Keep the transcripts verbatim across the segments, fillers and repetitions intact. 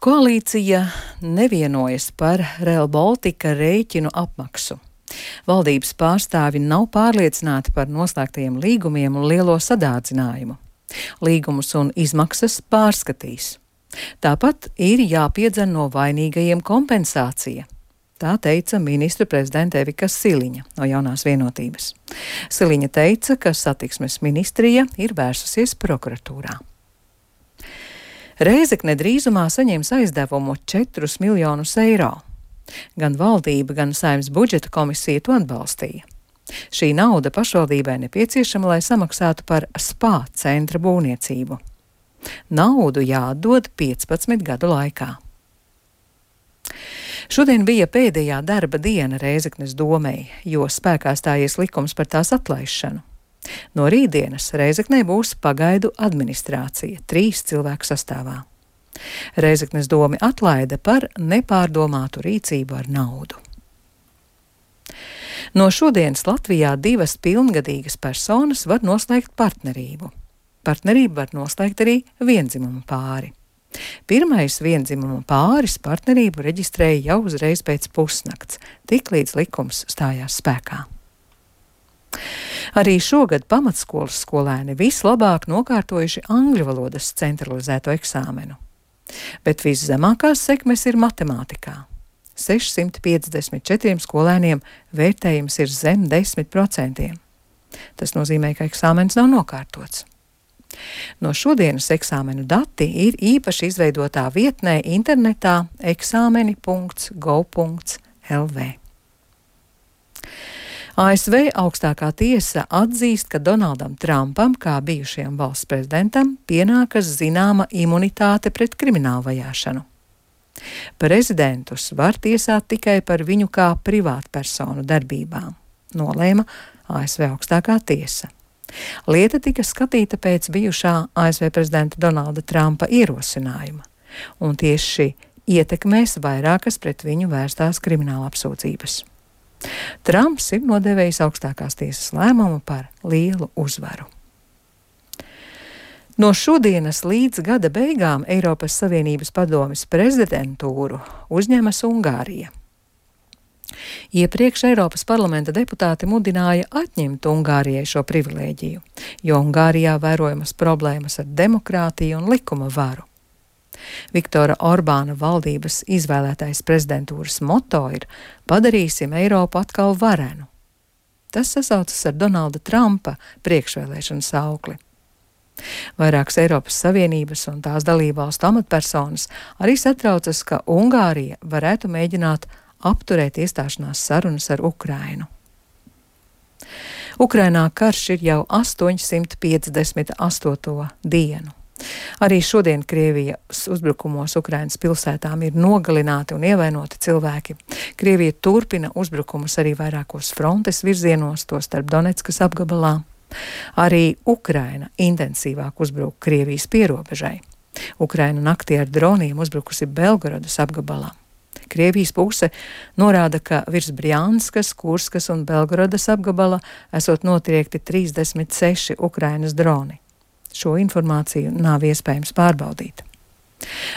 Koalīcija nevienojas par Rail Baltica rēķinu apmaksu. Valdības pārstāvi nav pārliecināti par noslēgtajiem līgumiem un lielo sadārdzinājumu. Līgumus un izmaksas pārskatīs. Tāpat ir jāpiedzen no vainīgajiem kompensācija. Tā teica ministru prezidente Evika Siliņa no Jaunās vienotības. Siliņa teica, ka satiksmes ministrija ir vērsusies prokuratūrā. Rēzekne drīzumā saņems aizdevumu četrus miljonus eiro. Gan valdība, gan Saeimas budžeta komisija to atbalstīja. Šī nauda pašvaldībai nepieciešama, lai samaksātu par spā centra būvniecību. Naudu jāatdod piecpadsmit gadu laikā. Šodien bija pēdējā darba diena Rēzeknes domei, jo spēkā stājies likums par tās atlaišanu. No rītdienas Rēzeknē būs pagaidu administrācija, trīs cilvēku sastāvā. Rēzeknes domi atlaida par nepārdomātu rīcību ar naudu. No šodienas Latvijā divas pilngadīgas personas var noslēgt partnerību. Partnerību var noslēgt arī viendzimumu pāri. Pirmais viendzimuma pāris partnerību reģistrēja jau uzreiz pēc pusnakts, tiklīdz likums stājās spēkā. Arī šogad pamatskolas skolēni vislabāk nokārtojuši angļu valodas centralizēto eksāmenu. Bet viszemākās sekmes ir matemātikā. sešsimt piecdesmit četriem skolēniem vērtējums ir zem desmit procentiem. Tas nozīmē, ka eksāmens nav nokārtots. No šodienas eksāmenu dati ir īpaši izveidotā vietnē internetā eksāmeni punkts gov punkts lv. A S V augstākā tiesa atzīst, ka Donaldam Trumpam, kā bijušajam valsts prezidentam, pienākas zināma imunitāte pret kriminālu vajāšanu. Prezidentus var tiesāt tikai par viņu kā privātpersonu darbībām, nolēma A S V augstākā tiesa. Lieta tika skatīta pēc bijušā A S V prezidenta Donalda Trumpa ierosinājuma, un tieši šī ietekmēs vairākas pret viņu vērstās krimināla apsūdzības. Trumps ir nodēvējis augstākās tiesas lēmumu par lielu uzvaru. No šodienas līdz gada beigām Eiropas Savienības padomes prezidentūru uzņemas Ungārija. Iepriekš Eiropas parlamenta deputāti mudināja atņemt Ungārijai šo privilēģiju, jo Ungārijā vērojamas problēmas ar demokrātiju un likuma varu. Viktora Orbāna valdības izvēlētais prezidentūras moto ir "Padarīsim Eiropu atkal varenu". Tas sasaucas ar Donalda Trumpa priekšvēlēšanu saukli. Vairākas Eiropas Savienības un tās dalībvalstu amatpersonas arī satraucas, ka Ungārija varētu mēģināt apturēt iestāšanās sarunas ar Ukrainu. Ukrainā karš ir jau astoņsimt piecdesmit astoto dienu. Arī šodien Krievijas uzbrukumos Ukrainas pilsētām ir nogalināti un ievainoti cilvēki. Krievija turpina uzbrukumus arī vairākos frontes virzienos, tostarp Donetskas apgabalā. Arī Ukraina intensīvāk uzbruk Krievijas pierobežai. Ukraina naktī ar droniem uzbrukusi Belgorodas apgabalā. Krievijas puse norāda, ka virs Brjanskas, Kurskas un Belgorodas apgabala esot notriekti trīsdesmit seši Ukrainas droni. Šo informāciju nav iespējams pārbaudīt.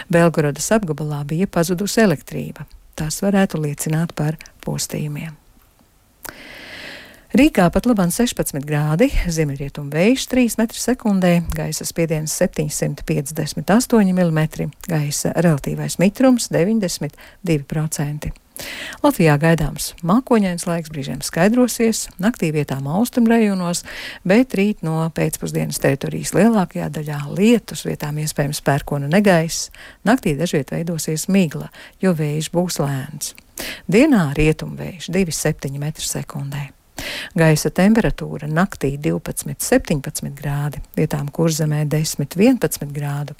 Belgorodas apgabalā bija pazudusi elektrība. Tas varētu liecināt par postījumiem. Rīgā pat labāk sešpadsmit grādi, ziemeļrietumu vējš trīs metri sekundē, gaisa spiediens septiņsimt piecdesmit astoņi milimetri, gaisa relatīvais mitrums deviņdesmit divi procenti. Latvijā gaidāms mākoņains laiks, brīžiem skaidrosies, naktī vietām austrumrajonos, bet rīt no pēcpusdienas teritorijas lielākajā daļā lietus, vietām iespējams pērkona negaiss, naktī dažviet veidosies migla, jo vējš būs lēns. Dienā rietumvējš divi septiņi metri sekundē. Gaisa temperatūra naktī divpadsmit septiņpadsmit grādi, vietām Kurzemē desmit vienpadsmit grādu,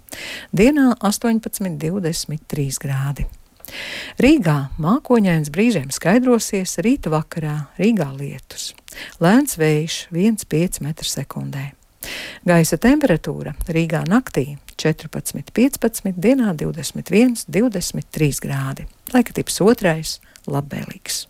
dienā astoņpadsmit divdesmit trīs grādi. Rīgā mākoņains, brīžiem skaidrosies, rīta vakarā Rīgā lietus. Lēns vējš viens pieci metri sekundē. Gaisa temperatūra Rīgā naktī četrpadsmit piecpadsmit, dienā divdesmit viens divdesmit trīs grādi. Laika tips otrais, labvēlīgs.